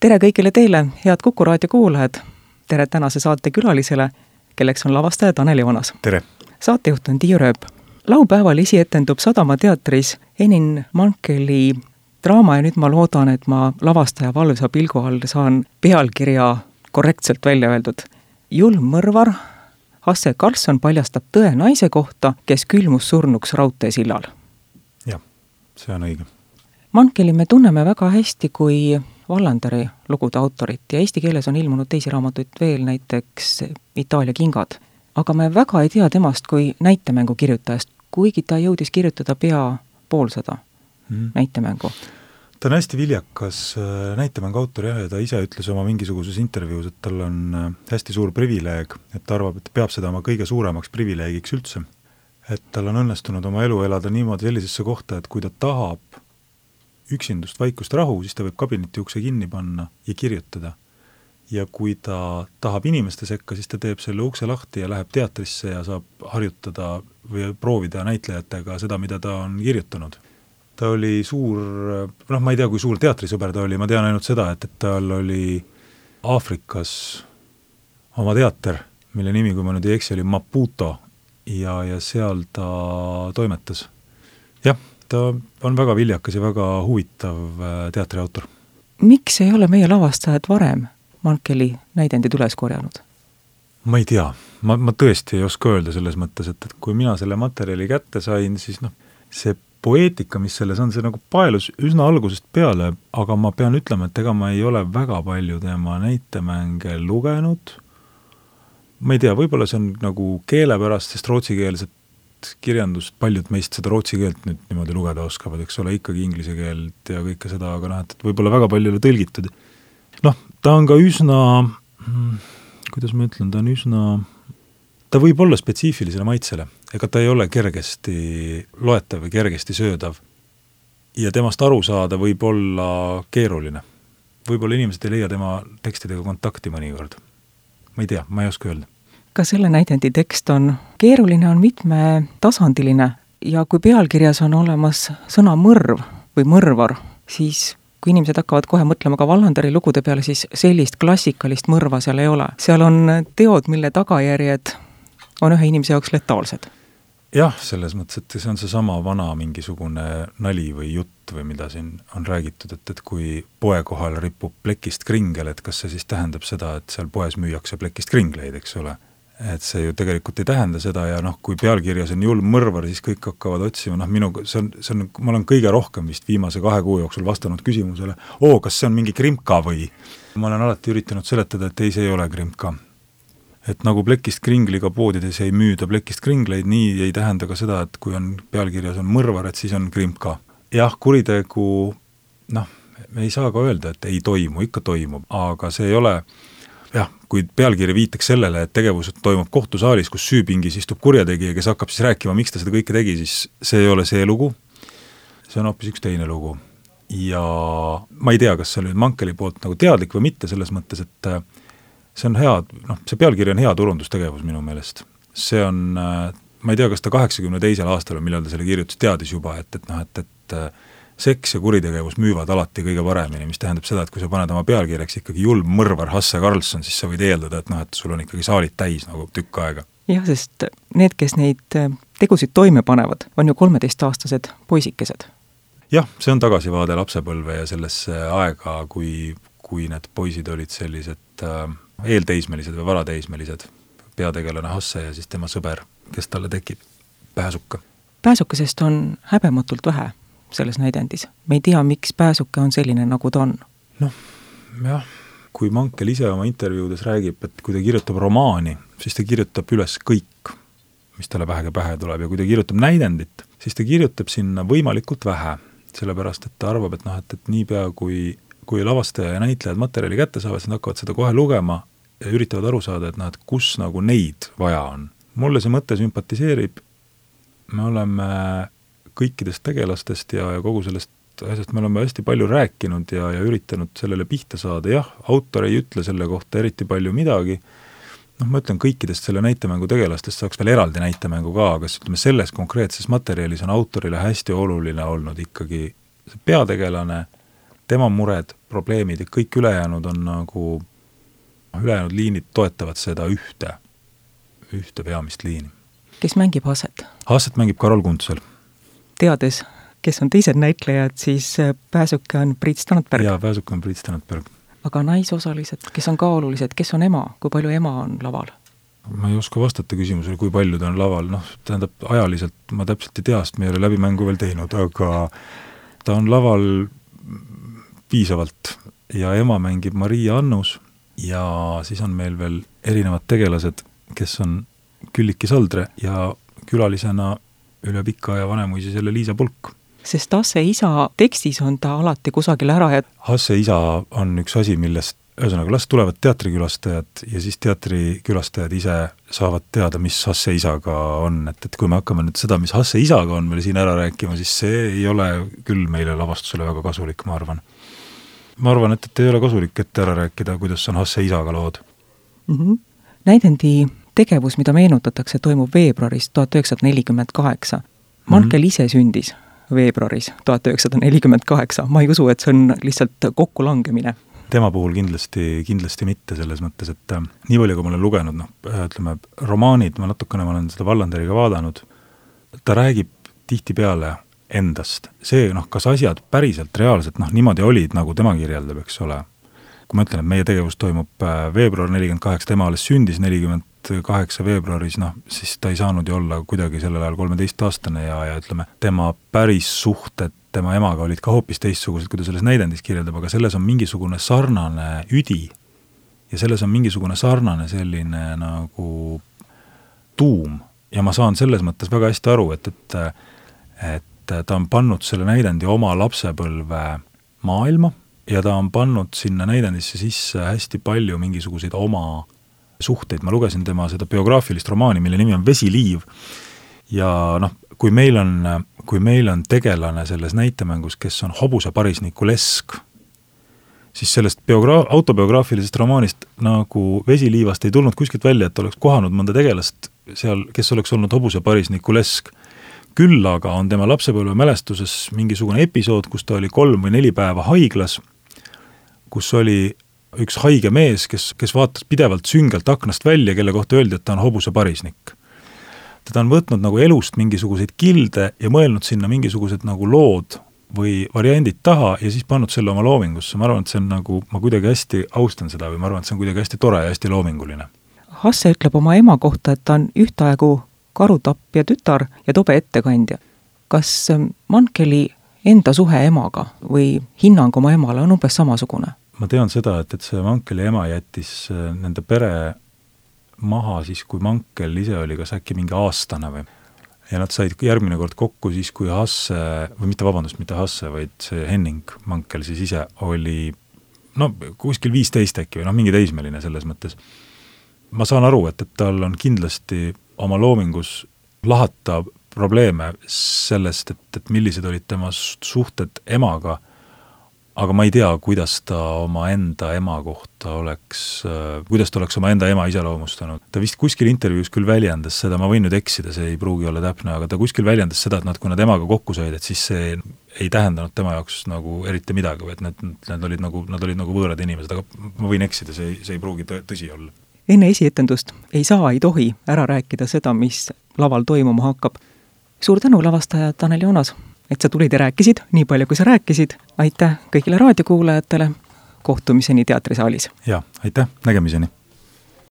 Tere kõigile teile, head Kuku raadio kuulajad. Tere tänase saate külalisele, kelleks on lavastaja Tanel Joonas. Tere! Saatejuht on Tiiu Rööp. Laupäeval esietendub Sadama teatris Henning Mankeli draama ja nüüd ma loodan, et ma lavastaja valvsa pilgu all saan pealkirja korrektselt välja öeldud. Julm mõrvar Hasse Karlsson paljastab tõe naise kohta, kes külmus surnuks raudteesillal. Jah, see on õige. Mankeli me tunneme väga hästi kui Vallanderi lugude autorit ja eesti keeles on ilmunud teisi raamatuid veel, näiteks Itaalia kingad. Aga me väga ei tea temast kui näitemängu kirjutajast, kuigi ta jõudis kirjutada pea poolsada näitemängu. Ta on hästi viljakas näitemängu autor ja ta ise ütles oma mingisuguses intervjuus, et tal on hästi suur privileeg, et ta arvab, et peab seda oma kõige suuremaks privileegiks üldse. Et tal on õnnestunud oma elu elada niimoodi sellisesse kohta, et kui ta tahab üksindust, vaikust, rahu, siis ta võib kabineti ukse kinni panna ja kirjutada. Ja kui ta tahab inimeste sekka, siis ta teeb selle ukse lahti ja läheb teatrisse ja saab harjutada või proovida näitlejatega seda, mida ta on kirjutanud. Ta oli suur, ma ei tea, kui suur teatrisõber ta oli, ma tean ainult seda, et tal oli Aafrikas oma teater, mille nimi, kui ma nüüd ei eksi, oli Maputo ja seal ta toimetas. Jah, ta on väga viljakas ja väga huvitav teatriautor. Miks ei ole meie lavastajad varem Mankeli näidendid üles korjanud? Ma ei tea. Ma tõesti ei oska öelda selles mõttes, et kui mina selle materjali kätte sain, siis see poeetika, mis selles on, see nagu paelus üsna algusest peale, aga ma pean ütlema, et ega ma ei ole väga palju tema näitemänge lugenud. Ma ei tea, võib-olla see on nagu keele pärast, sest rootsikeelset kirjandust, paljud meist seda rootsi keelt nüüd niimoodi lugeda oskavad, eks ole, ikkagi inglise keelt ja kõike seda, aga et võib-olla väga palju ei ole tõlgitud. Ta on ka üsna, kuidas ma ütlen, ta võib olla spetsiifilisele maitsele, ega ta ei ole kergesti loetav või kergesti söödav. Ja temast aru saada võib olla keeruline. Võib-olla inimesed ei leia tema tekstidega kontakti mõnikord. Ma ei tea, ma ei oska öelda. Ka selle näidendi tekst on keeruline, on mitmetasandiline ja kui pealkirjas on olemas sõna mõrv või mõrvar, siis kui inimesed hakkavad kohe mõtlema ka Vallanderi lugude peale, siis sellist klassikalist mõrva seal ei ole. Seal on teod, mille tagajärjed on ühe inimese jaoks letaalsed. Jah, selles mõttes, et see on see sama vana mingisugune nali või jutt või mida siin on räägitud, et kui poe kohal ripub plekist kringel, et kas see siis tähendab seda, et seal poes müüakse plekist kringleid, eks ole. Et see ju tegelikult ei tähenda seda ja kui pealkirjas on julm mõrvar, siis kõik hakkavad otsima, ma olen kõige rohkem vist viimase 2 kuu jooksul vastanud küsimusele, kas see on mingi krimka või? Ma olen alati üritanud seletada, et ei, see ei ole krimka. Et nagu plekist kringliga poodides ei müüda plekist kringleid, nii ei tähenda ka seda, et kui on pealkirjas on mõrvar, et siis on krimka. Jah, kuritegu, me ei saa ka öelda, et ei toimu, ikka toimub, aga see ei ole... Jah, kui pealkiri viitaks sellele, et tegevus toimub kohtusaalis, kus süüpingis istub kurjategija, kes hakkab siis rääkima, miks ta seda kõike tegi, siis see ei ole see lugu. See on hoopis üks teine lugu. Ja ma ei tea, kas see oli Mankeli poolt nagu teadlik või mitte selles mõttes, et see on hea, see pealkiri on hea turundustegevus minu meelest. See on, ma ei tea, kas ta 82. aastal, millal ta selle kirjutas, teadis juba, et seks ja kuritegevus müüvad alati kõige paremini, mis tähendab seda, et kui sa paned oma pealkirjaks ikkagi julm mõrvar Hasse Karlsson, siis sa võid eeldada, et sul on ikkagi saalid täis nagu tükk aega. Jah, sest need, kes neid tegusid toime panevad, on ju 13-aastased poisikesed. Jah, see on tagasivaade lapsepõlve ja sellesse aega, kui need poisid olid sellised eelteismelised või varateismelised, peategelane Hasse ja siis tema sõber, kes talle tekib, Pääsuka. Pääsukesest on häbematult vähe selles näidendis. Me ei tea, miks Pääsuke on selline, nagu ta on. Jah, kui Mankel ise oma intervjuudes räägib, et kui ta kirjutab romaani, siis ta kirjutab üles kõik, mis talle vähegi pähe tuleb ja kui ta kirjutab näidendit, siis ta kirjutab sinna võimalikult vähe, sellepärast, et ta arvab, et niipea kui lavastaja ja näitlejad materjali kätte saavad, siis nad hakkavad seda kohe lugema ja üritavad aru saada, et kus nagu neid vaja on. Mulle see mõte sümpatiseerib, me oleme kõikidest tegelastest ja kogu sellest asjast me oleme hästi palju rääkinud ja üritanud sellele pihta saada. Jah, autor ei ütle selle kohta eriti palju midagi. Ma ütlen, kõikidest selle näitemängu tegelastest saaks veel eraldi näitemängu ka, aga selles konkreetses materjalis on autorile hästi oluline olnud ikkagi see peategelane tema mured, probleemid ja kõik ülejäänud on nagu, ülejäänud liinid toetavad seda ühte peamist liini. Kes mängib Hasset? Hasset mängib Karol Kuntsel. Teades, kes on teised näitlejad, siis pääsuke on Priit Standberg. Jaa, pääsuke on Priit Standberg. Aga naisosalised, kes on ka olulised, kes on ema, kui palju ema on laval? Ma ei oska vastata küsimusele, kui palju ta on laval, tähendab, ajaliselt ma täpselt ei tea, sest me ei ole läbimängu veel teinud, aga ta on laval piisavalt ja ema mängib Maria Annus ja siis on meil veel erinevad tegelased, kes on Külliki Saldre ja külalisena üle pika ja Vanemuisi selle Liisa Pulk. Sest Hasse isa tekstis on ta alati kusagil ära ja Hasse isa on üks asi, millest ühesõnaga las tulevad teatrikülastajad ja siis teatrikülastajad ise saavad teada, mis Hasse isaga on, et kui me hakkame nüüd seda, mis Hasse isaga on meil siin ära rääkima, siis see ei ole küll meile lavastusele väga kasulik, ma arvan. Ma arvan, et ei ole kasulik ette ära rääkida, kuidas on Hasse isaga lood. Näidendi tegevus, mida meenutatakse, toimub veebruaris 1948. Mankel ise sündis veebruaris 1948. Ma ei usu, et see on lihtsalt kokkulangemine. Tema puhul kindlasti mitte selles mõttes, et nii palju, kui ma olen lugenud, ütleme, romaanid, ma olen seda Vallanderiga vaadanud, ta räägib tihtipeale endast. See, kas asjad päriselt, reaalselt, niimoodi olid, nagu tema kirjeldab, eks ole. Kui ma ütlen, et meie tegevus toimub veebruar 48, tema alles sündis 48 veebruaris, siis ta ei saanud ju olla kuidagi sellel ajal 13-aastane ja ütleme, tema päris suhted tema emaga olid ka hoopis teistsugused, kui ta selles näidendis kirjeldab, aga selles on mingisugune sarnane üdi ja selles on mingisugune sarnane selline nagu tuum ja ma saan selles mõttes väga hästi aru, et ta on pannud selle näidendi oma lapsepõlve maailma ja ta on pannud sinna näidendisse sisse hästi palju mingisuguseid oma suhteid. Ma lugesin tema seda biograafilist romaani, mille nimi on Vesiliiv ja kui meil on tegelane selles näitemängus, kes on hobuse parisniku Lesk, siis sellest autobiograafilisest romaanist nagu Vesiliivast ei tulnud kuskilt välja, et oleks kohanud mõnda tegelast seal, kes oleks olnud hobuse parisniku Lesk. Küll aga on tema lapsepõlve mälestuses mingisugune episood, kus ta oli 3 või 4 päeva haiglas, kus oli üks haige mees, kes vaatas pidevalt süngelt aknast välja, kelle kohta öeldi, et ta on hobuse parisnik. Teda on võtnud nagu elust mingisuguseid kilde ja mõelnud sinna mingisugused nagu lood või variandid taha ja siis pannud selle oma loomingusse. Ma arvan, et see on nagu, ma kuidagi hästi austan seda või ma arvan, et see on kuidagi hästi tore ja hästi loominguline. Hasse ütleb oma ema kohta, et ta on ühtaegu karutappja tütar ja tobe ettekandja. Kas Mankeli enda suhe emaga või hinnang oma emale on umbes samasugune? Ma tean seda, et see Mankeli ema jättis nende pere maha siis, kui Mankel ise oli kas äkki mingi aastane või. Ja nad said järgmine kord kokku siis, kui Hasse, või mitte Hasse, vaid see Henning Mankel siis ise oli kuskil 15 äkki või mingi teismeline selles mõttes. Ma saan aru, et tal on kindlasti oma loomingus lahata probleeme sellest, et millised olid tema suhted emaga, aga ma ei tea, kuidas ta oma enda ema kohta kuidas ta oleks oma enda ema iseloomustanud. Ta vist kuskil intervjuus küll väljendas seda, ma võin nüüd eksida, see ei pruugi olla täpne, aga ta kuskil väljendas seda, et kui nad emaga kokku said, et siis see ei tähendanud tema jaoks nagu eriti midagi, et nad olid nagu võõrad inimesed, aga ma võin eksida, see ei pruugi tõsi olla. Enne esietendust ei tohi ära rääkida seda, mis laval toimuma hakkab. Suur tänu, lavastaja Tanel Joonas, et sa tulid ja rääkisid, nii palju kui sa rääkisid. Aitäh kõigile raadiokuulajatele, kohtumiseni teatrisaalis. Ja, aitäh, nägemiseni.